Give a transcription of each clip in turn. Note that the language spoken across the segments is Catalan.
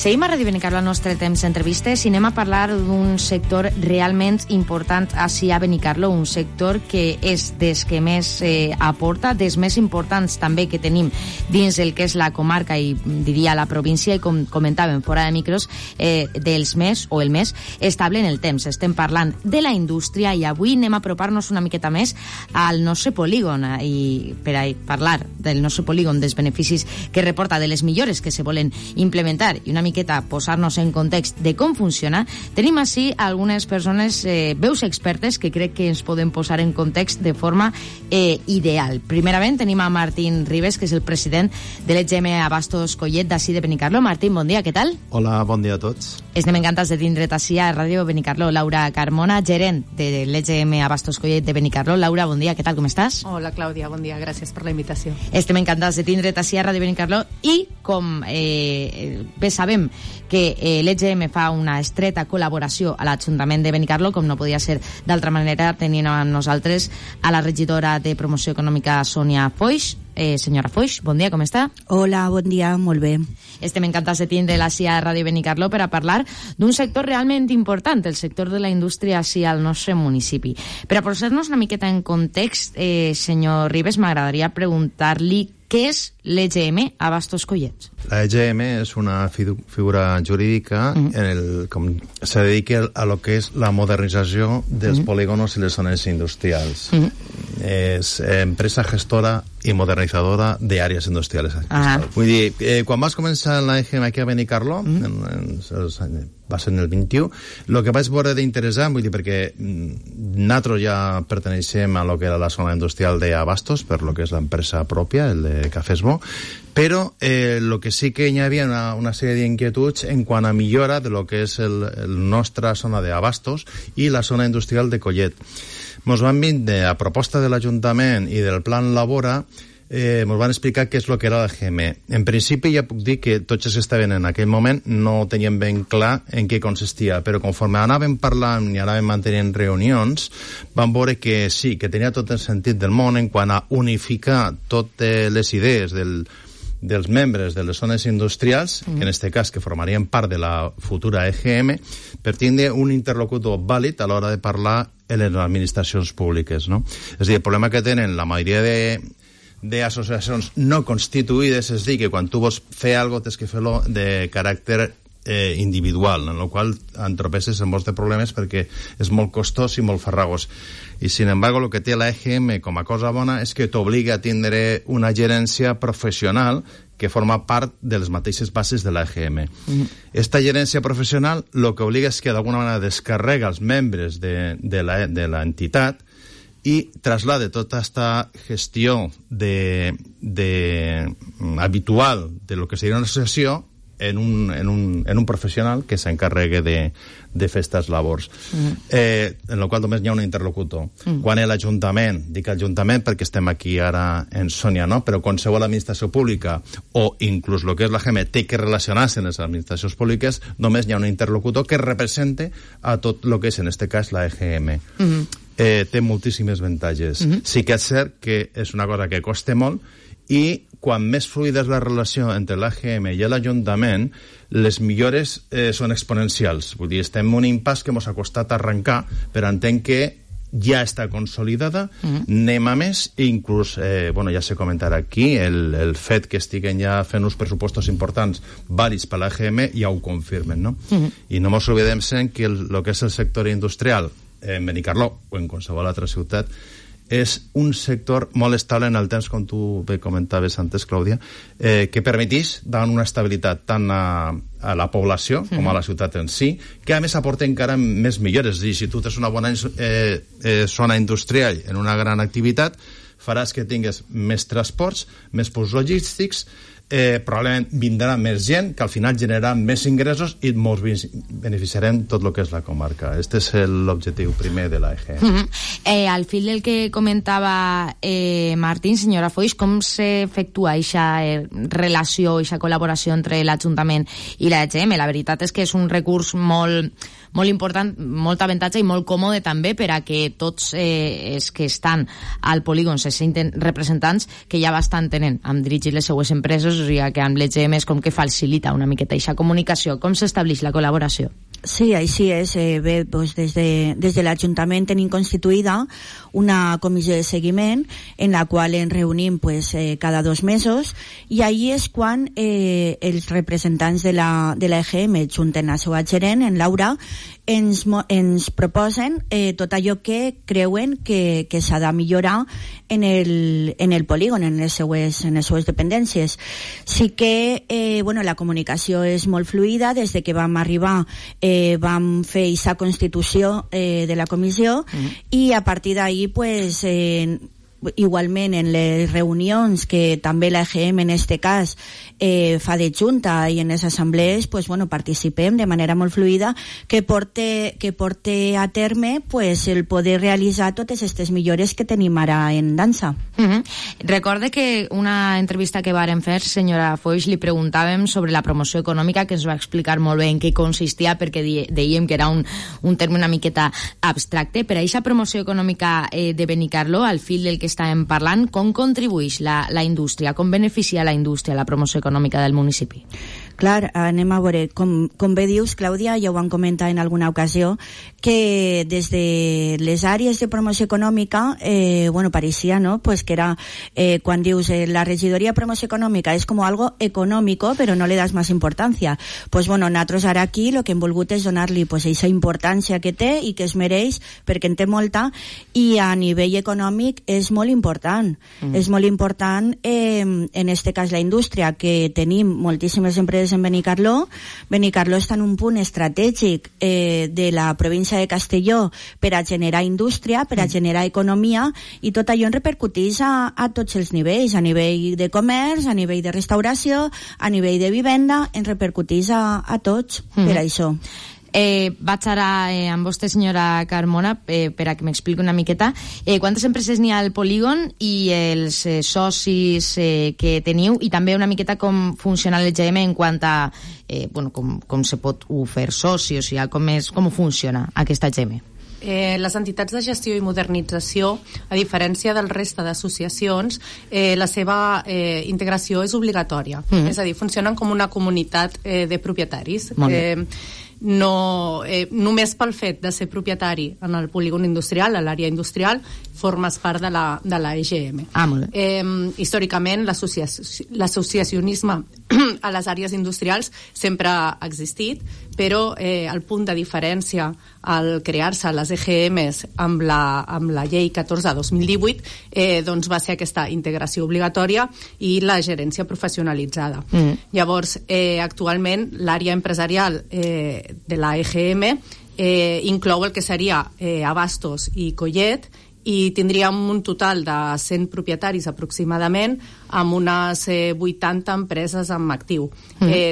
Seguim a Ràdio Benicarló al nostre temps d'entrevistes i anem a parlar d'un sector realment important ací a Benicarló, un sector que és des que més aporta, des més importants també que tenim dins el que és la comarca i diria la província, i com comentàvem fora de micros, dels més o el més estable en el temps. Estem parlant de la indústria i avui anem a apropar-nos una miqueta més al nostre polígon i per a parlar del nostre polígon, dels beneficis que reporta, de les millores que se volen implementar i una miqueta posar-nos en context de com funciona, tenim així algunes persones, veus expertes, que crec que ens poden posar en context de forma ideal. Primerament tenim a Martín Ribes, que és el president de l'EGM Abastos Collet d'ací de Benicarló. Martín, bon dia, què tal? Hola, bon dia a tots. Estem encantats de tindre't ací a Ràdio Benicarló. Laura Carmona, gerent de l'EGM Abastos Collet de Benicarló. Laura, bon dia, què tal, com estàs? Hola, Clàudia, bon dia, gràcies per la invitació. Estem encantats de tindre't ací a Ràdio Benicarló i, com bé sabem que l'EGM fa una estreta col·laboració a l'Ajuntament de Benicarló, com no podia ser d'altra manera, tenint amb nosaltres a la regidora de Promoció Econòmica, Sònia Foix. Senyora Foix, bon dia, com està? Hola, bon dia, molt bé. Estem encantats de tindre-la ací a Ràdio Benicarló per a parlar d'un sector realment important, el sector de la indústria ací al nostre municipi. Per a posar-nos una miqueta en context, senyor Ribes, m'agradaria preguntar-li què és l'EGM Abastos Collet. La EGM és una figura jurídica com se dedica a lo que és la modernització dels polígonos i les zones industrials. És empresa gestora i modernitzadora d'àrees industrials. Vull dir, quan vas començar la EGM aquí a Benicarló, va ser en el 21, el que vaig veure d'interessant, vull dir, perquè nosaltres ja perteneixem a lo que era la zona industrial d'Abastos, per lo que és l'empresa pròpia, el de Cafès Bo, però el que sí que hi havia una sèrie d'inquietuds en quant a millora de lo que és la nostra zona d'Abastos i la zona industrial de Collet. Ens van vindre a proposta de l'Ajuntament i del Plan Labora, ens van explicar què és el que era l'EGM. En principi ja puc dir que tots els que estaven en aquell moment no tenien ben clar en què consistia, però conforme anàvem parlant i anàvem mantenint reunions, vam veure que sí, que tenia tot el sentit del món en quant a unificar totes les idees dels membres de les zones industrials, que en aquest cas que formarien part de la futura EGM, per tindre un interlocutor vàlid a l'hora de parlar en les administracions públiques, no? És a dir, el problema que tenen la majoria d'associacions no constituïdes és dir que quan tu vols fer alguna cosa tens que fer-lo de caràcter individual, en el qual entropeces en molts de problemes perquè és molt costós i molt farragós. I, sin embargo, el que té la EGM com a cosa bona és que t'obliga a tindre una gerència professional que forma part de les mateixes bases de la EGM. Esta gerència professional el que obliga és que d'alguna manera descarrega els membres de l'entitat i traslade tota aquesta gestió habitual de lo que seria una associació en un professional que s'encarregue de fer aquestes labors. En el qual només hi ha un interlocutor. Quan és l'Ajuntament, dic Ajuntament perquè estem aquí ara en Sònia, no? Però qualsevol administració pública o inclús el que és l'EGM té que relacionar-se amb les administracions públiques, només hi ha un interlocutor que represente a tot el que és, en aquest cas, la EGM. Té moltíssimes avantatges. Sí que és cert que és una cosa que costa molt i quan més fluida és la relació entre l'AGM i l'Ajuntament, les millores són exponencials. Vull dir, estem en un impàs que ens ha costat arrencar, però entenc que ja està consolidada, anem a més, i inclús, ja s'ha comentat aquí, el fet que estiguen ja fent uns pressupostos importants, vàlids per l'AGM, ja ho confirmen, no? I no ens oblidem que el que és el sector industrial en Benicarló o en qualsevol altra ciutat és un sector molt estable en el temps, com tu bé comentaves antes, Clàudia, que permetís donar una estabilitat tant a la població com a la ciutat en si, que a més aporta encara més millores. És a dir, si tu tens una bona zona industrial en una gran activitat, faràs que tingues més transports, més punts logístics, probablement vindrà més gent, que al final generarà més ingressos i ens beneficiarem tot el que és la comarca. Este és l'objectiu primer de l'EGM. Al fil del que comentava Martín, senyora Foix, com s'efectua aquesta relació, aquesta col·laboració entre l'Ajuntament i l'EGM? La veritat és que és un recurs molt molt important, molt avantatge i molt còmode també per a que tots els que estan al polígon se senten representants, que ja bastant tenen amb dirigir les seues empreses, o sigui que amb l'EGM és com que facilita una miqueta aquesta comunicació. Com s'estableix la col·laboració? Sí, així és. Bé, doncs des de l'Ajuntament tenim constituïda una comissió de seguiment en la qual ens reunim cada 2 mesos, i ahí és quan els representants de la EGM, junten la seva gerent, en Laura, ens proposen tot allò que creuen que s'ha de millorar en el polígon, en les seues dependències. Sí que la comunicació és molt fluida. Des de que vam arribar vam fer aquesta constitució de la comissió, i a partir d'ahí igualment en les reunions que també la EGM en este cas fa de junta, i en les assemblees participem de manera molt fluida, que porte a terme el poder realitzar totes aquestes millores que tenim ara en dansa. Recorde que una entrevista que vàrem fer, senyora Foix, li preguntàvem sobre la promoció econòmica, que ens va explicar molt bé en què consistia, perquè dèiem que era un terme una miqueta abstracte. Per a aquesta promoció econòmica de Benicarló, al fil del que estàvem parlant, com contribueix la indústria, com beneficia la indústria la promoció econòmica del municipi? Clar, anem a veure, com bé dius, Clàudia, ja ho vam comentar en alguna ocasió, que des de les àrees de promoció econòmica, pareixia, no?, que era, quan dius la regidoria de promoció econòmica és com algo econòmico, però no le das més importància. Nosaltres ara aquí el que hem volgut és donar-li aquesta importància que té i que es mereix, perquè en té molta, i a nivell econòmic és molt important. És molt important, en este cas, la indústria, que tenim moltíssimes empreses en Benicarló. Benicarló està en un punt estratègic de la província de Castelló per a generar indústria, per a generar economia, i tot allò en repercuteix a tots els nivells, a nivell de comerç, a nivell de restauració, a nivell de vivenda, en repercuteix a tots per això. Vaig ara amb vostè, senyora Carmona, per a que m'expliqui una miqueta quantes empreses n'hi ha al polígon i els socis que teniu, i també una miqueta com funciona l'EGM en quant a com se pot fer soci, o sigui, com funciona aquesta EGM. Les entitats de gestió i modernització, a diferència del reste d'associacions, la seva integració és obligatòria. És a dir, funcionen com una comunitat de propietaris. No, només pel fet de ser propietari en el polígon industrial, a l'àrea industrial, formes part de la EGM. Històricament, l'associacionisme a les àrees industrials sempre ha existit, però el punt de diferència al crear-se les EGMs amb la llei 14 de 2018 va ser aquesta integració obligatòria i la gerència professionalitzada. Llavors, actualment, l'àrea empresarial de la EGM inclou el que seria Abastos i Collet, i tindríem un total de 100 propietaris aproximadament, amb unes 80 empreses en actiu.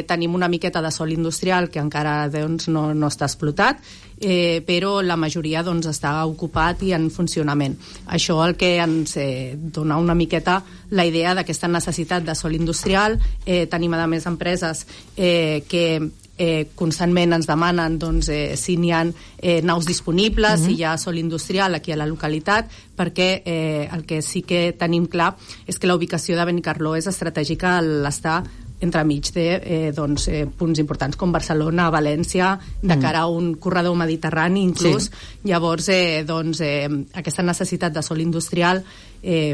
Tenim una miqueta de sòl industrial que encara no està explotat, però la majoria està ocupat i en funcionament. Això el que ens dona una miqueta la idea d'aquesta necessitat de sòl industrial. Tenim a més empreses que constantment ens demanen si n'hi ha naus disponibles, si hi ha sòl industrial aquí a la localitat, perquè el que sí que tenim clar és que la ubicació de Benicarló és estratègica a l'estar entremig de punts importants com Barcelona, València, de cara a un corredor mediterrani inclús. Llavors, aquesta necessitat de sòl industrial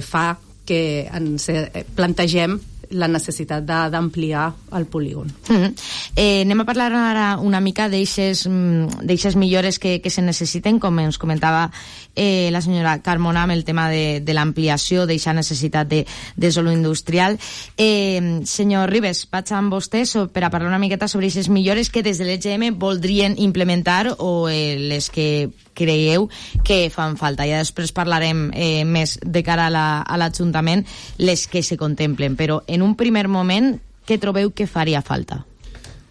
fa que ens plantegem la necessitat d'ampliar el polígon. Anem a parlar ara una mica d'eixes millores que se necessiten, com ens comentava la senyora Carmona, amb el tema de l'ampliació d'eixa necessitat de sòl industrial. Senyor Ribes, vaig amb vostè per a parlar una miqueta sobre aquestes millores que des de l'EGM voldrien implementar o les que creieu que fan falta. Ja després parlarem més de cara a l'Ajuntament les que se contemplen, però en un primer moment, què trobeu que faria falta?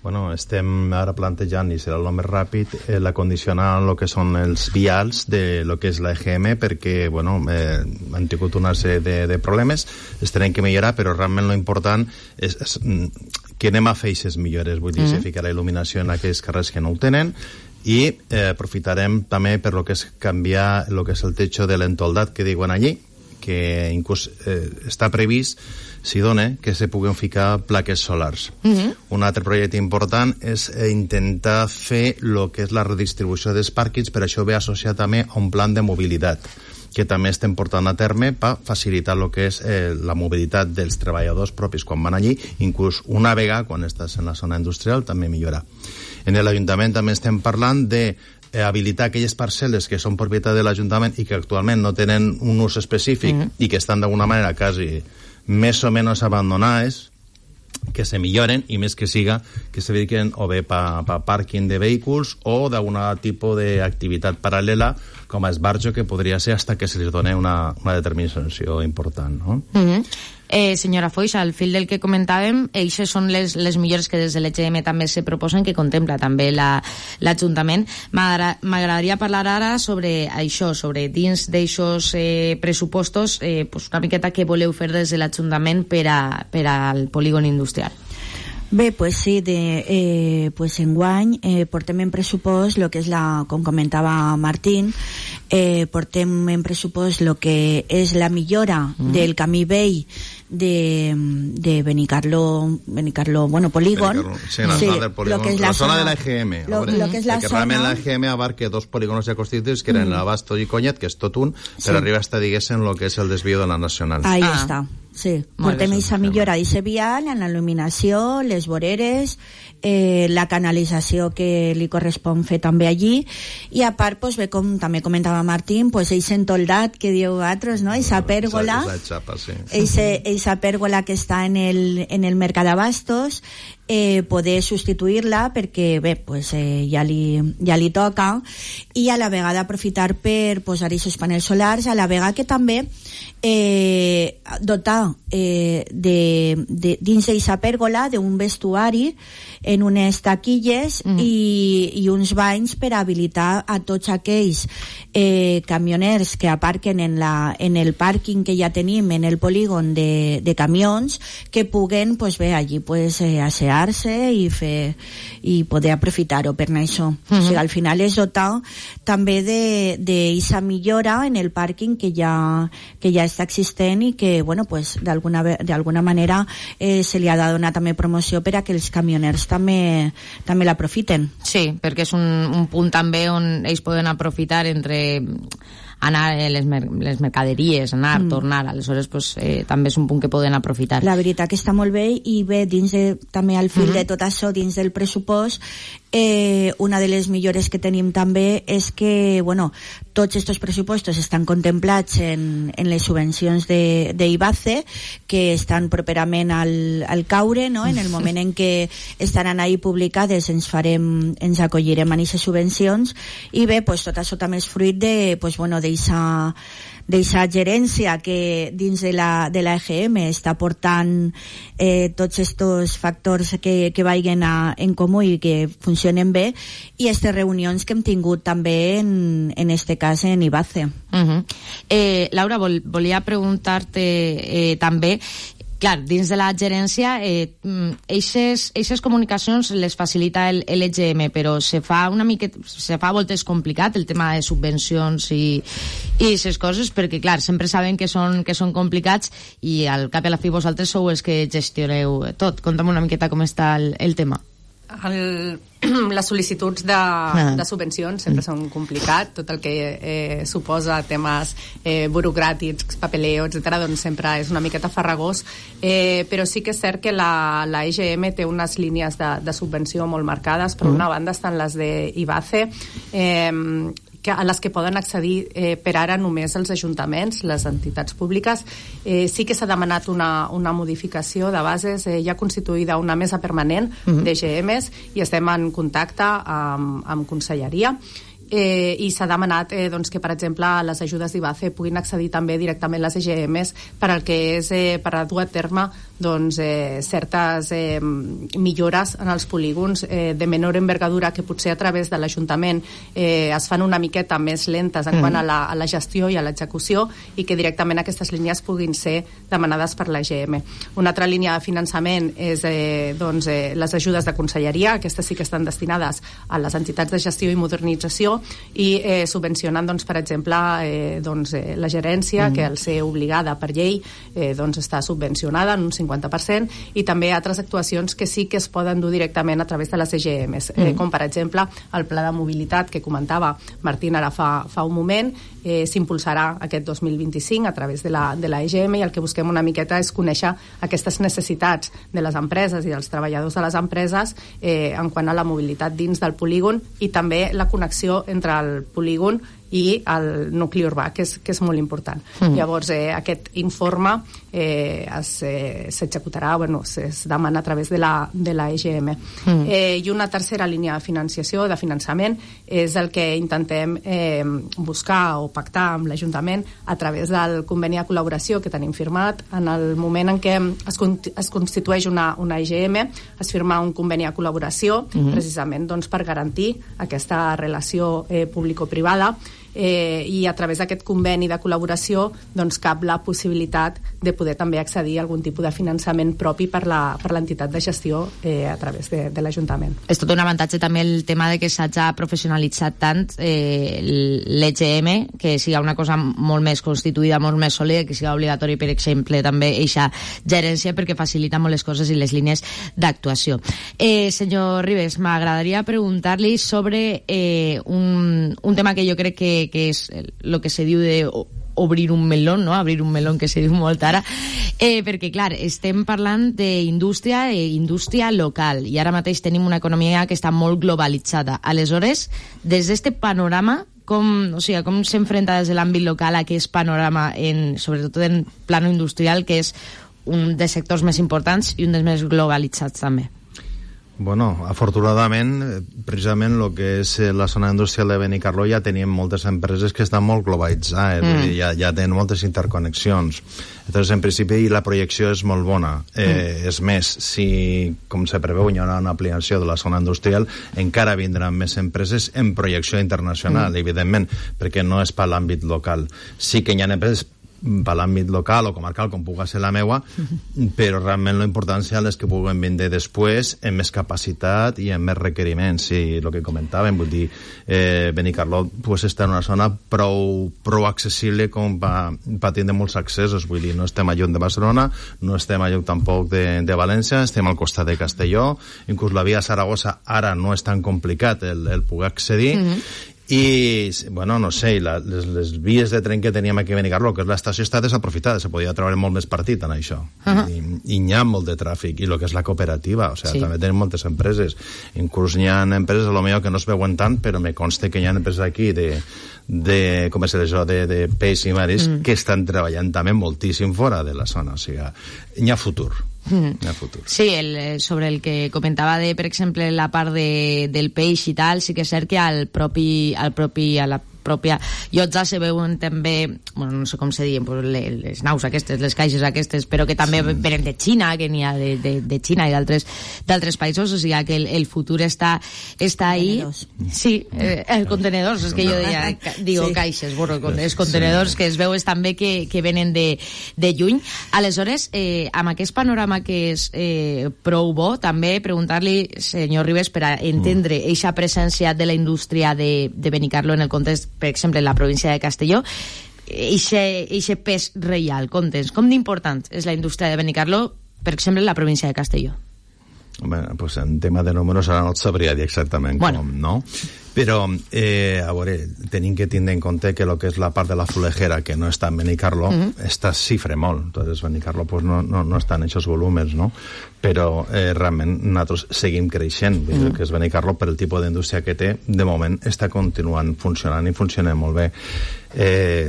Bueno, estem ara plantejant, i serà el més ràpid, l'acondicionar el que són els vials de lo que és la EGM, perquè han tingut una sèrie de problemes, es tenen que millorar, però realment lo important és que anem a fer aquestes millores, vull dir, se ficarà il·luminació en aquells carrers que no ho tenen, i aprofitarem també per lo que és canviar lo que és el techo de l'entoldat que diuen allí, que inclús està previst, si dona, que se puguin ficar plaques solars. Un altre projecte important és intentar fer el que és la redistribució dels pàrquings, per això ve associat també a un plan de mobilitat, que també estem portant a terme per facilitar el que és la mobilitat dels treballadors propis quan van allí, inclús una vegada, quan estàs en la zona industrial, també millorar. En l'Ajuntament també estem parlant de habilitar aquelles parcel·les que són propietat de l'Ajuntament i que actualment no tenen un ús específic i que estan d'alguna manera quasi més o menys abandonades, que se milloren i més que siga que se dediquen o bé per pàrquing de vehicles o d'algun tipus d'activitat paral·lela com a esbarjo, que podria ser hasta que se les doni una determinació important, no? Senyora Foix, al fil del que comentàvem, eixes són les millores que des de l'EGM també se proposen, que contempla també l'Ajuntament. M'agradaria parlar ara sobre això, sobre dins d'eixos pressupostos, una miqueta què voleu fer des de l'Ajuntament per al polígon industrial. Bé, pues sí, pues enguany portem en pressupost lo que és com comentava Martín, portem en pressupost lo que és la millora del camí vell de Benicarló, bueno, polígon. Sí, del polígon. La zona de la EGM. Lo que és la que zona... realment la EGM abarca dos polígonos ja constituïts, que eren l'Abasto i Conyet, que és tot un, però arriba hasta, diguéssim, lo que és el desvío de la Nacional. Ahí està. Sí, portem aquesta millora d'eixe vial en la il·luminació, les voreres, la canalització que li correspon fer també allí, i a part, pues, bé, com també comentava Martín, pues, eixe entoldat que dieu vosaltres, no? Eixa pèrgola, eixa pèrgola que està en el mercat d'Abastos, poder substituir-la perquè bé, pues, ja li toca, i a la vegada aprofitar per posar aquests panels solars, a la vegada que també dotar dins d'aquesta pèrgola d'un vestuari en unes taquilles i uns banys per habilitar a tots aquells camioners que aparquen en el pàrquing que ja tenim en el polígon de camions, que puguen, pues bé, allí pues assear-se i poder aprofitar-ho per això. O sigui, al final és dotar també d'eixa millora en el pàrquing que ja està existent i que, bueno, pues d'alguna manera se li ha de donar també promoció per a que els camioners també l'aprofiten. Sí, perquè és un punt també on ells poden aprofitar entre anar les mercaderies, tornar, aleshores pues, també és un punt que poden aprofitar. La veritat que està molt bé, i bé, també al fil de tot això, dins del pressupost, una de les millores que tenim també és que, bueno, tots aquests pressupostos estan contemplats en les subvencions d'IBACE, que estan properament al caure, no? En el moment en què estaran ahí publicades ens acollirem a aquestes subvencions, i bé, pues, tot això també és fruit d'eixa gerència que dins de la EGM està portant tots aquests factors que vagin en comú i que funcionen bé, i aquestes reunions que hem tingut també en este cas en IBACE. Laura, volia preguntar-te també, clar, dins de la gerència, eixes comunicacions les facilita l'EGM, però se fa a voltes complicat el tema de subvencions i aquestes coses, perquè, clar, sempre saben que són complicats, i al cap i a la fi vosaltres sou els que gestioneu tot. Conta'm una miqueta com està el tema. Les sol·licituds de subvencions sempre són complicat, tot el que suposa temes burocràtics, papeleo, etc., doncs sempre és una miqueta farragós, però sí que és cert que la EGM té unes línies de subvenció molt marcades. Per una banda estan les d'IBACE, a les que poden accedir per ara només els ajuntaments, les entitats públiques. Sí que s'ha demanat una modificació de bases, ja constituïda una mesa permanent d'EGMs, i estem en contacte amb Conselleria, i s'ha demanat que, per exemple, les ajudes d'IBACE puguin accedir també directament les EGMs per al que és per a dur a terme certes millores en els polígons de menor envergadura que potser a través de l'Ajuntament es fan una miqueta més lentes en quant a la gestió i a l'execució, i que directament aquestes línies puguin ser demanades per l'EGM. Una altra línia de finançament és les ajudes de conselleria. Aquestes sí que estan destinades a les entitats de gestió i modernització i subvencionen, per exemple, la gerència, que al ser obligada per llei està subvencionada en un 50%, i també altres actuacions que sí que es poden dur directament a través de les EGMs, com per exemple el pla de mobilitat que comentava Martín ara fa un moment. S'impulsarà aquest 2025 a través de la EGM, i el que busquem una miqueta és conèixer aquestes necessitats de les empreses i dels treballadors de les empreses en quant a la mobilitat dins del polígon, i també la connexió entre el polígon i el nucli urbà, que és molt important. Llavors, aquest informe s'executarà, es demana a través de la EGM. I una tercera línia de financiació, de finançament, és el que intentem buscar o pactar amb l'Ajuntament a través del conveni de col·laboració que tenim firmat. En el moment en què es constitueix una EGM, es firma un conveni de col·laboració precisament per garantir aquesta relació público-privada, i a través d'aquest conveni de col·laboració cap la possibilitat de poder també accedir a algun tipus de finançament propi per l'entitat de gestió a través de l'Ajuntament. És tot un avantatge també el tema de que s'hagi professionalitzat tant l'EGM, que siga una cosa molt més constituïda, molt més sòlida, que siga obligatori, per exemple, també eixa gerència, perquè facilita molt les coses i les línies d'actuació. Senyor Ribes, m'agradaria preguntar-li sobre un tema que jo crec que és el que se diu de obrir un melón, no? Abrir un melón, que se diu molt ara, perquè, clar, estem parlant d'indústria local, i ara mateix tenim una economia que està molt globalitzada. Aleshores, des d'este panorama, com s'enfrenta des de l'àmbit local a aquest panorama, sobretot en plano industrial, que és un dels sectors més importants i un dels més globalitzats també? Bueno, afortunadament, precisament el que és la zona industrial de Benicarló ja tenim moltes empreses que estan molt globalitzades, ja tenen moltes interconnexions. Entonces, en principi, la projecció és molt bona. És més, si, com se preveu, hi haurà una ampliació de la zona industrial, encara vindran més empreses en projecció internacional, evidentment, perquè no és per l'àmbit local. Sí que hi ha empreses per l'àmbit local o comarcal, com pugui ser la meua, però realment la importància és que puguen vindre després amb més capacitat i amb més requeriments. I el que comentàvem, vull dir, Benicarló està en una zona prou accessible com per tindre molts accessos. Vull dir, no estem a lluny de Barcelona, no estem a lluny tampoc de València, estem al costat de Castelló, inclús la via Saragossa ara no és tan complicat el poder accedir, i, bueno, no sé, les vies de tren que teníem aquí a Benicarló, que és l'estació, està desaprofitada, se podia treure molt més partit en això, i hi ha molt de tràfic, i el que és la cooperativa, o sigui, també tenim moltes empreses, inclús hi ha empreses a lo millor que no es veuen tant, però me consta que hi ha empreses aquí com és això, de peix i maris, que estan treballant també moltíssim fora de la zona, o sigui, hi ha futur. Sí, sobre el que comentava de, per exemple, la part del peix i tal, sí que és cert que a la pròpia llotja se veuen també, bueno, no sé com se diuen, les naus aquestes, les caixes aquestes, però que també venen de Xina, que n'hi ha de Xina i d'altres països, o sigui que el futur està ahí. Sí, els contenedors, és que jo digo caixes, bueno, els contenedors que es veuen també que venen de lluny. Aleshores, amb aquest panorama que és prou bo, també preguntar-li, senyor Ribes, per a entendre eixa presència de la indústria de Benicarló en el context, per exemple, en la província de Castelló, eixe pes reial, com d'important és la indústria de Benicarló, per exemple, en la província de Castelló? Bé, pues en tema de números ara no et sabria dir exactament com, no? Però, a veure, tenim que tindre en compte que el que és la part de la florejera, que no està en Benicarló, està xifre molt. Entonces, Benicarló pues, no està en aquests volúmens, no? Però realment nosaltres seguim creixent. El que és Benicarló, per el tipus d'indústria que té, de moment està continuant funcionant i funciona molt bé.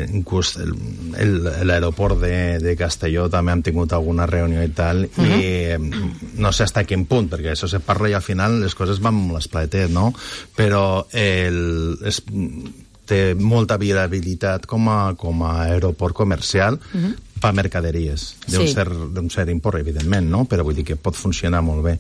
Inclús l'aeroport de Castelló també hem tingut alguna reunió i tal, i no sé fins a quin punt, perquè això se parla i al final les coses van molt esplatet, no? Però té molta viabilitat com a aeroport comercial per mercaderies, d'un cert import, evidentment, no? Però vull dir que pot funcionar molt bé.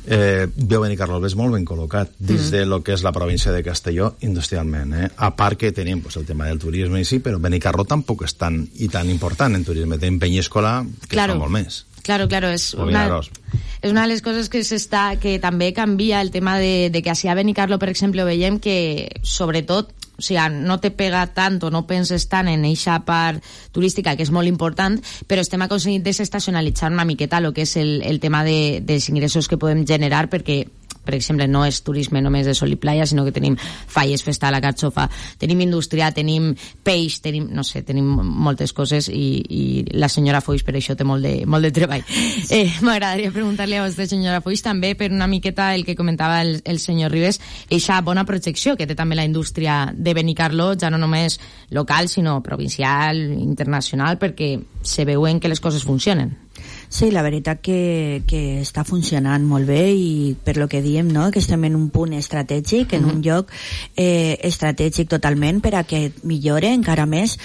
Benicarló és molt ben col·locat dins de lo que és la província de Castelló industrialment, a part que tenim el tema del turisme i sí, però Benicarló tampoc és tan important en turisme. Tenim Penyíscola, que fa molt més. Claro, es una de les coses que també canvia el tema de que a Benicarló, per exemple, veiem que, sobretot, o sigui, no te pega tant o no penses tant en eixa part turística, que és molt important, però estem aconseguint desestacionalitzar una miqueta el que és el tema dels ingressos que podem generar, perquè, per exemple, no és turisme només de sol i playa, sinó que tenim falles, festa a la carxofa, tenim indústria, tenim peix, tenim moltes coses, i la senyora Foix per això té molt de treball. M'agradaria preguntar-li a vostè, senyora Foix, també per una miqueta el que comentava el senyor Ribes, eixa bona projecció que té també la indústria de Benicarló, ja no només local, sinó provincial, internacional, perquè se veuen que les coses funcionen. Sí, la veritat que està funcionant molt bé, i per lo que diem, no?, que estem en un punt estratègic, en un lloc estratègic totalment per a que millore encara més.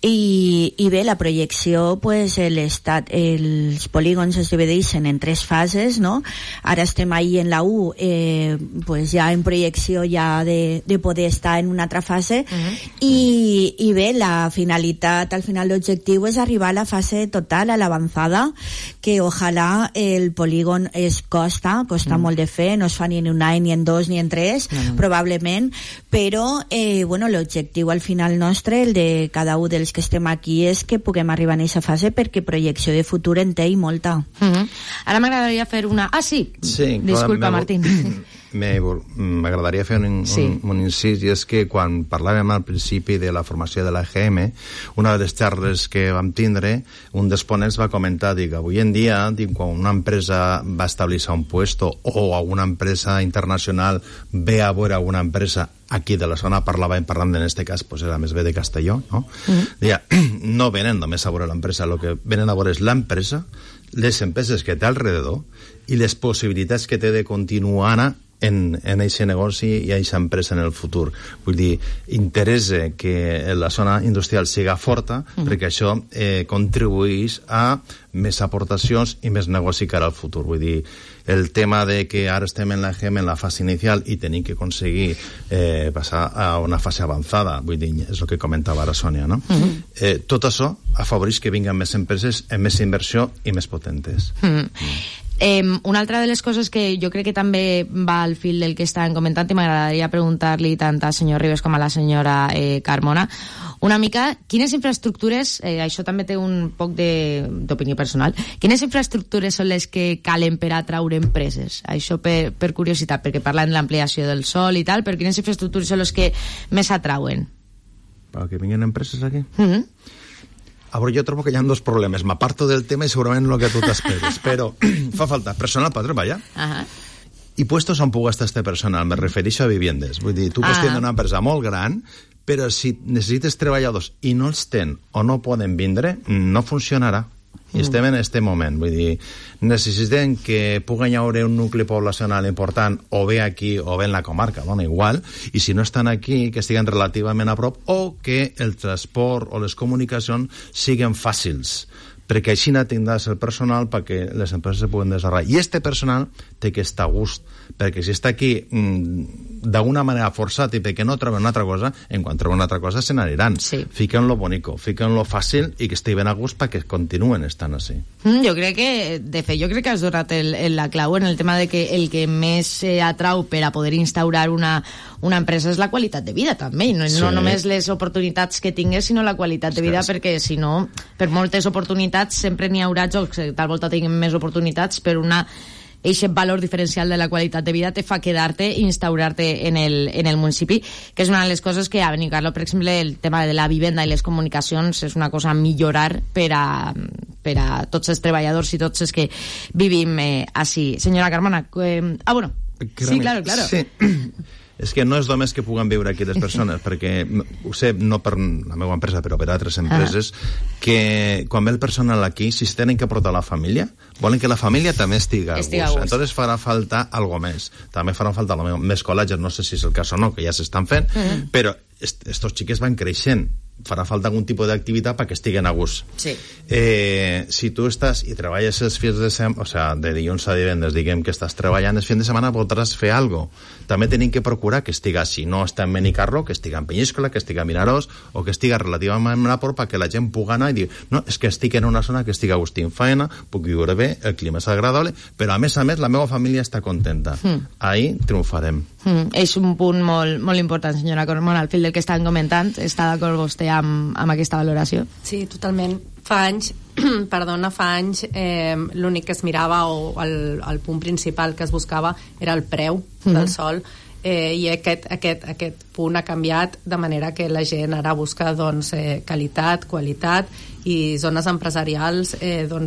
I bé, la projecció, pues, els polígons es divideixen en 3 fases, no? Ara estem ahí en la 1, pues ja en projecció ja de poder estar en una altra fase, i bé, la finalitat, al final l'objectiu és arribar a la fase total, a l'avançada, que ojalà el polígon costa molt de fer, no es fa ni en un any, ni en 2, ni en 3, probablement, però bueno, l'objectiu al final nostre, el de cada un dels que estem aquí, és que puguem arribar a aquesta fase, perquè projecció de futur en té i molta. Ara m'agradaria fer una... sí, disculpa, Martín. M'agradaria fer un incís, i és que quan parlàvem al principi de la formació de l'AGM, una de les xarres que vam tindre, un dels ponents va comentar, avui en dia, quan una empresa va establir-se un puesto, o una empresa internacional ve a veure una empresa aquí de la zona, parlant en este cas, pues era més bé de Castelló, no? No venen només a veure l'empresa, el que venen a veure és l'empresa, les empreses que té alrededor i les possibilitats que té de continuar en aquest negoci i a aquesta empresa en el futur. Vull dir, interessa que la zona industrial siga forta, perquè això contribueix a més aportacions i més negoci cara al futur. Vull dir, el tema de que ara estem en la GEM en la fase inicial i tenim que aconseguir passar a una fase avançada, vull dir, és el que comentava ara Sònia, no? Tot això afavoreix que vinguen més empreses amb més inversió i més potentes. Una altra de les coses que jo crec que també va al fil del que estàvem comentant, i m'agradaria preguntar-li tant al senyor Ribes com a la senyora Carmona, una mica, quines infraestructures, això també té un poc d'opinió personal, quines infraestructures són les que calen per atraure empreses? Això per curiositat, perquè parlen de l'ampliació del sol i tal, però quines infraestructures són les que més atrauen? Per que vinguin empreses aquí? A veure, jo trobo que hi ha 2 problemes. M'aparto del tema i segurament el que tu t'esperes, però fa falta personal per treballar i puestos on pugui estar este personal. Me refereixo a viviendes. Vull dir, tu pots tenir una empresa molt gran, però si necessites treballadors i no els tenen o no poden vindre, no funcionarà. I estem en aquest moment, vull dir, necessitem que pugui haver un nucli poblacional important o bé aquí o bé en la comarca, dona igual, i si no estan aquí, que estiguen relativament a prop, o que el transport o les comunicacions siguin fàcils, perquè així tindràs el personal perquè les empreses se puguen desenvolupar. I este personal té que estar a gust, perquè si està aquí d'alguna manera forçat i perquè no troben una altra cosa, en quan troben una altra cosa se n'aniran. Fiquen-lo bonico, fiquen-lo fàcil i que estigui ben a gust perquè continuen estant així. Jo crec que, de fet, has donat la clau en el tema de que el que més atrau per a poder instaurar una empresa és la qualitat de vida, també, no només les oportunitats que tingues, sinó la qualitat de vida, perquè si no, per moltes oportunitats sempre n'hi haurà jocs que tal volta tinguin més oportunitats, per eixe valor diferencial de la qualitat de vida te fa quedar-te i instaurar-te en el municipi, que és una de les coses que a Benicarló, per exemple, el tema de la vivenda i les comunicacions és una cosa a millorar per a tots els treballadors i tots els que vivim així. Senyora Carmona, bueno, sí, claro. Sí. És que no és només que puguen viure aquí les persones, perquè ho sé, no per la meva empresa, però per altres empreses, que quan ve el personal aquí, si es tenen que portar la família, volen que la família també estigui a gust. Entonces farà falta algo més. També farà falta més col·legis, no sé si és el cas o no, que ja s'estan fent, però estos xiques van creixent. Farà falta algun tipus d'activitat perquè estiguen a gust. Sí. Si tu estàs i treballes els fins de setmana, o sigui, de dilluns a divendres, diguem que estàs treballant els fins de setmana, podràs fer alguna cosa. També tenim que procurar que estiga, si no està en Benicarló, que estiga en Penyíscola, que estiga en Vinaròs, o que estiga relativament a prop, perquè la gent pugui anar i dir, no, és que estic en una zona que estic a gust en feina, puc viure bé, el clima és agradable, però a més, la meva família està contenta. Ahí triomfarem. És un punt molt important, senyora Carmona, al fil del que estan comentant. Està d'acord vostè amb aquesta valoració? Sí, totalment. Fa anys, l'únic que es mirava o el punt principal que es buscava era el preu del sòl, i aquest punt ha canviat de manera que la gent ara busca qualitat, qualitat i zones empresarials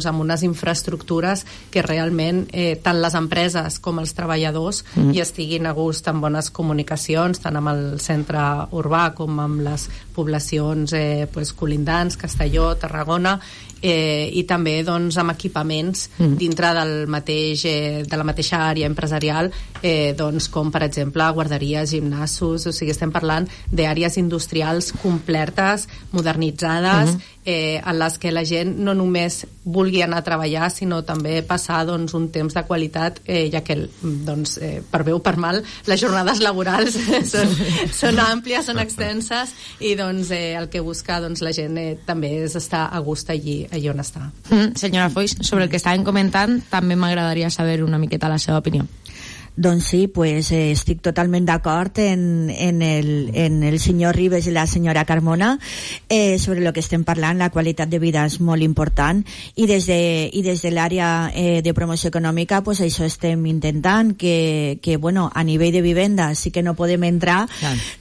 amb unes infraestructures que realment tant les empreses com els treballadors hi estiguin a gust, amb bones comunicacions tant amb el centre urbà com amb les poblacions colindants, Castelló, Tarragona, i també amb equipaments dintre de la mateixa àrea empresarial, com per exemple guarderies, gimnasos, o sigui, estem parlant d'àrees industrials completes, modernitzades, en les que la gent no només vulgui anar a treballar, sinó també passar un temps de qualitat, ja que per bé o per mal les jornades laborals són àmplies, són extenses, i el que busca la gent també és estar a gust allí on està. Senyora Foix, sobre el que estàvem comentant també m'agradaria saber una miqueta la seva opinió. Doncs sí, pues estic totalment d'acord en el senyor Ribes i la senyora Carmona sobre el que estem parlant. La qualitat de vida és molt important i des de l'àrea de promoció econòmica pues això estem intentant que a nivell de vivenda sí que no podem entrar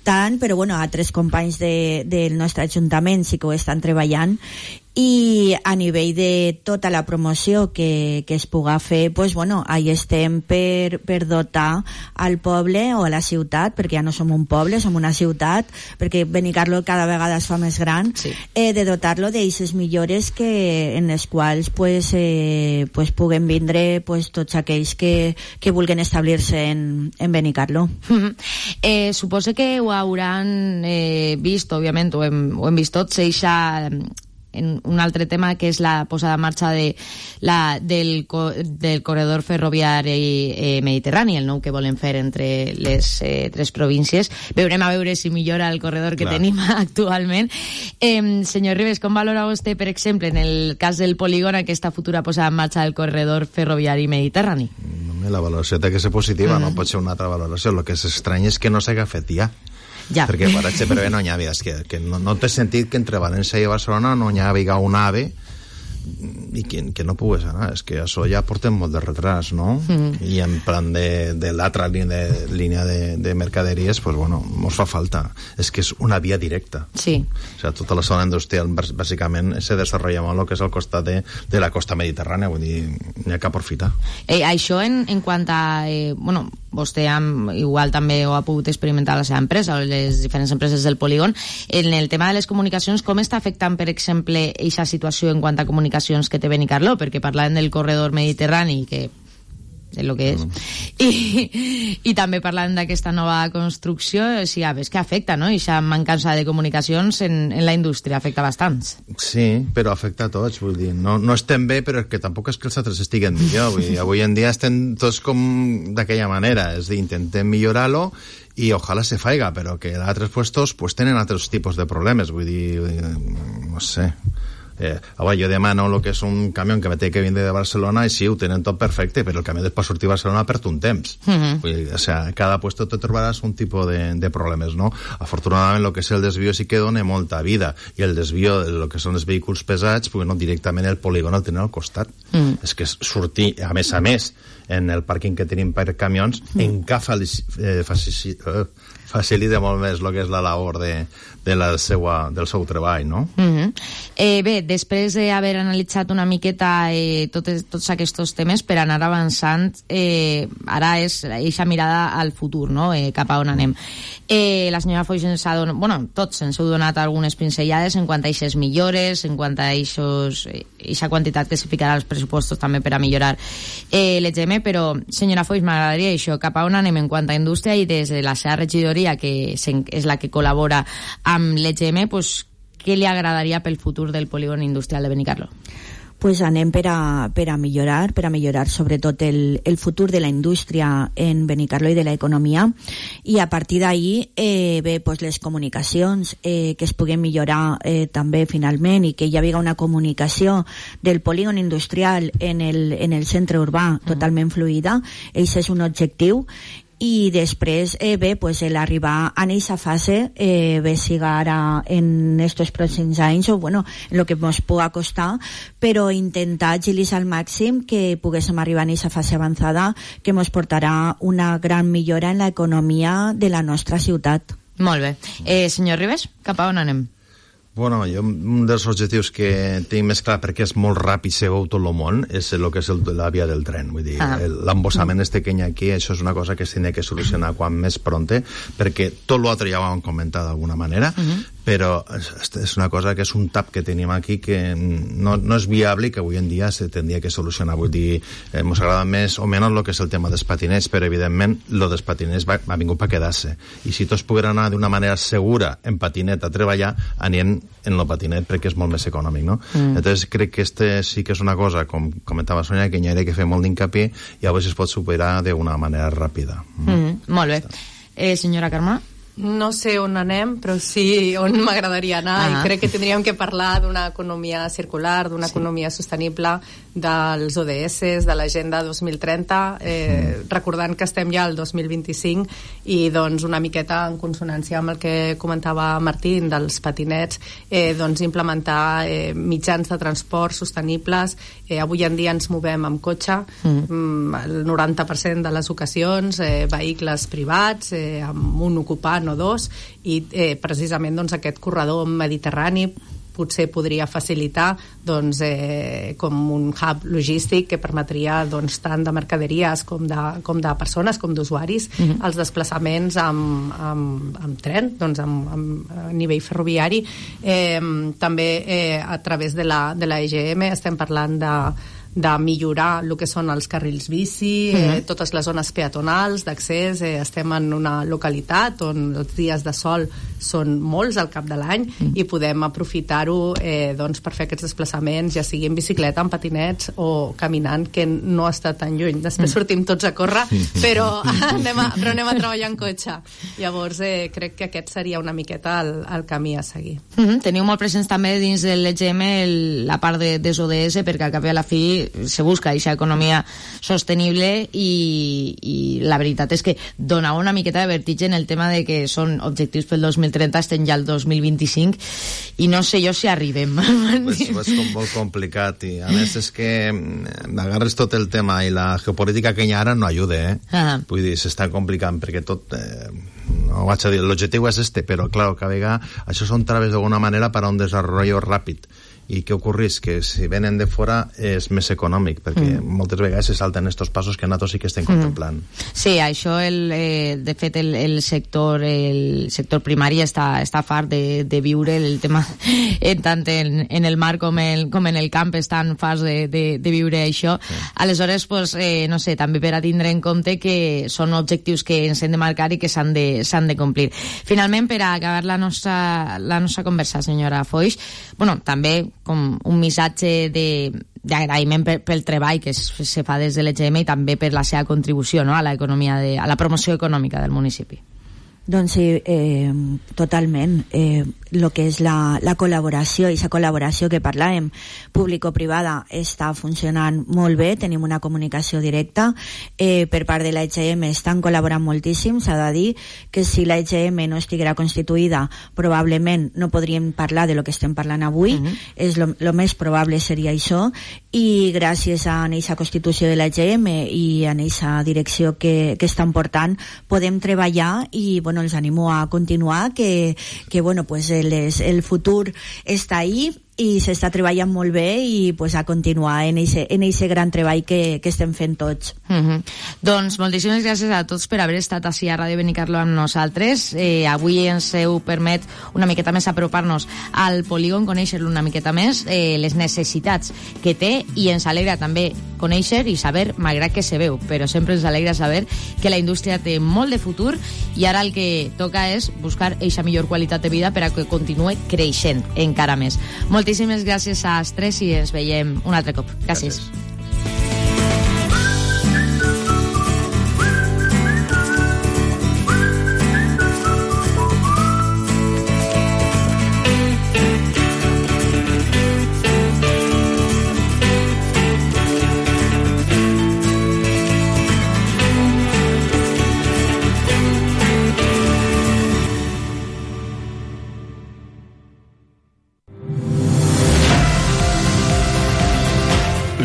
tant, però altres companys del nostre ajuntament sí que ho estan treballant, i a nivell de tota la promoció que es puga fer, pues ahí estem per dotar al poble o a la ciutat, perquè ja no som un poble, som una ciutat, perquè Benicarló cada vegada es fa més gran, de dotar-lo d'eixes millores en les quals pues puguem vindre tots aquells que vulguin establir-se en Benicarló. Suposo que ho hauran vist, òbviament, ho hem vist tots, en un altre tema que és la posada en marxa del corredor ferroviari mediterrani, el nou que volen fer entre les tres províncies. Veurem a veure si millora el corredor que tenim actualment. Senyor Ribes, com valora vostè, per exemple, en el cas del polígon, aquesta futura posada en marxa del corredor ferroviari mediterrani? La valoració té que ser positiva, no pot ser una altra valoració. El que és estrany és que no s'haga fet ja. Perquè per exemple no hi havia, que no té sentit que entre València i Barcelona no hi havia un AVE i que no pogués anar. És que això ja portem molt de retras, no? I en plan de l'altra línia de mercaderies, pues mos fa falta. És que és una via directa. Sí. O sigui, tota la zona industrial bàsicament se desenvolupa molt el que és al costat de la costa mediterrània, vull dir, n'hi ha que aprofitar. Això en quant a vostè igual també ho ha pogut experimentar a la seva empresa o les diferents empreses del polígon, en el tema de les comunicacions, com està afectant, per exemple, aquesta situació en quant a comunicacions que té Benicarló? Perquè parlàvem del corredor mediterrani, que és el que és, i també parlant d'aquesta nova construcció, sí, és que afecta, no? Aquesta mancança de comunicacions en la indústria afecta bastants. Sí, però afecta a tots, vull dir, no estem bé, però que tampoc és que els altres estiguen millor, vull dir, avui en dia estem tots com d'aquella manera, és a dir, intentem millorar-lo i ojalà se faiga, però que altres puestos pues tenen altres tipus de problemes, vull dir, no sé. Jo demano el que és un camió que me té que vindre de Barcelona i sí, ho tenen tot perfecte, però el camió després sortir a Barcelona perd un temps. Vull dir, o sea, cada puesto te trobaràs un tipus de problemes, no? Afortunadament, el que és el desvío sí que dona molta vida, i el desvío de lo que són els vehicles pesats, directament el polígon el tenen al costat. És que sortir, a més, en el pàrquing que tenim per camions, encara facilita molt més el que és la labor del seu treball, no? Bé, després d'haver analitzat una miqueta tots aquests temes per anar avançant, ara és aquesta mirada al futur, no? Cap a on anem. La senyora Foix ens ha donat, tots ens heu donat algunes pinzellades en quant a aquestes millores, en quant a aquesta quantitat que se ficarà als pressupostos també per a millorar l'EGM, però senyora Foix, m'agradaria això, cap a on anem en quant a indústria, i des de la seva regidoria, que és la que col·labora amb l'EGM, pues, què li agradaria pel futur del polígon industrial de Benicarló? Pues anem per a millorar sobretot el futur de la indústria en Benicarló i de l'economia, i a partir d'ahí pues les comunicacions que es puguen millorar també finalment, i que hi havia una comunicació del polígon industrial en el centre urbà totalment fluida. Això és un objectiu. I després pues l'arribar a aquesta fase siga ara en estos pròxims anys, o en lo que ens puga costar, però intentar agilitzar al màxim que poguéssim arribar a aquesta fase avançada, que ens portarà una gran millora en l'economia de la nostra ciutat. Molt bé. Senyor Ribes, cap a on anem? Bueno, jo un dels objectius que tinc més clar, perquè és molt ràpid, se veu tot el món, és el que és la via del tren. Vull dir, l'embossament que hi ha aquí, això és una cosa que es tindrà que solucionar quan més pronte, perquè tot l'altre ja ho hem comentat d'alguna manera, però és una cosa que és un tap que tenim aquí que no és viable i que avui en dia se tindria que solucionar. Vull dir, ens agrada més o menys el que és el tema dels patinets, però evidentment lo dels patinets ha vingut per quedar-se, i si tots pogueren anar d'una manera segura en patinet a treballar, anirem en el patinet, perquè és molt més econòmic, no? Entonces crec que sí que és una cosa, com comentava Sonia, que hi ha que fer molt d'incapié, i a veure si es pot superar d'una manera ràpida. Molt bé. Senyora Carme? No sé on anem, però sí on m'agradaria anar, i crec que tindríem que parlar d'una economia circular, d'una economia sostenible, dels ODS, de l'Agenda 2030, recordant que estem ja al 2025, i doncs una miqueta en consonància amb el que comentava Martín dels patinets, doncs implementar mitjans de transport sostenibles. Avui en dia ens movem amb cotxe, el 90% de les ocasions, vehicles privats, amb un ocupant o dos, i precisament doncs, aquest corredor mediterrani potser podria facilitar doncs, com un hub logístic que permetria doncs, tant de mercaderies com de persones, com d'usuaris, els desplaçaments amb tren, doncs, a nivell ferroviari. També a través de la EGM estem parlant de millorar el que són els carrils bici, totes les zones peatonals d'accés. Estem en una localitat on els dies de sol són molts al cap de l'any, i podem aprofitar-ho doncs, per fer aquests desplaçaments, ja sigui en bicicleta, en patinets o caminant, que no està tan lluny. Després sortim tots a córrer, però anem a treballar en cotxe. Llavors crec que aquest seria una miqueta el camí a seguir. Teniu molt presents també dins de l'EGM la part dels ODS, perquè al cap i a la fi se busca aquesta economia sostenible, i la veritat és que dona una miqueta de vertigen el tema de que són objectius pel 2030, estem ja al 2025, i no sé jo si arribem. Pues és molt complicat, i a més és que agarres tot el tema, i la geopolítica que hi ha ara no ajuda, vull dir, s'està complicant, perquè tot no vaig a dir, l'objectiu és però clar, cada vegada això són traves d'alguna manera per a un desenvolupament ràpid. I què ocorreix? Que si venen de fora és més econòmic, perquè moltes vegades se salten estos passos que nosaltres sí que estem contemplant. Sí, això, de fet, el sector primari està fart de viure el tema, tant en el mar com en el camp, estan farts de viure això. Aleshores, pues, no sé, també per a tindre en compte que són objectius que ens hem de marcar i que s'han de complir. Finalment, per a acabar la nostra conversa, senyora Foix, també com un missatge d'agraïment pel treball que se fa des de l'EGM, i també per la seva contribució, no?, a l'economia, a la promoció econòmica del municipi. Doncs sí, totalment. El que és la col·laboració, i la col·laboració que parlàvem, público-privada, està funcionant molt bé, tenim una comunicació directa. Per part de l'EGM estan col·laborant moltíssim. S'ha de dir que si l'EGM no estiguera constituïda, probablement no podríem parlar de lo que estem parlant avui. És lo més probable seria això, i gràcies a aquesta constitució de l'EGM i a aquesta direcció que estan portant, podem treballar, i els animo a continuar, que el futur està ahí, i s'està treballant molt bé i pues, a continuar en eixe gran treball que estem fent tots. Doncs moltíssimes gràcies a tots per haver estat així a Ràdio Benicarló amb nosaltres. Avui ens heu permet una miqueta més apropar-nos al polígon, conèixer-lo una miqueta més, les necessitats que té, i ens alegra també conèixer i saber, malgrat que se veu, però sempre ens alegra saber que la indústria té molt de futur i ara el que toca és buscar eixa millor qualitat de vida per a que continue creixent encara més. Moltíssimes gràcies a els tres i ens veiem un altre cop. Gràcies.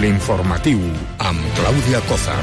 L'informatiu amb Clàudia Cózar.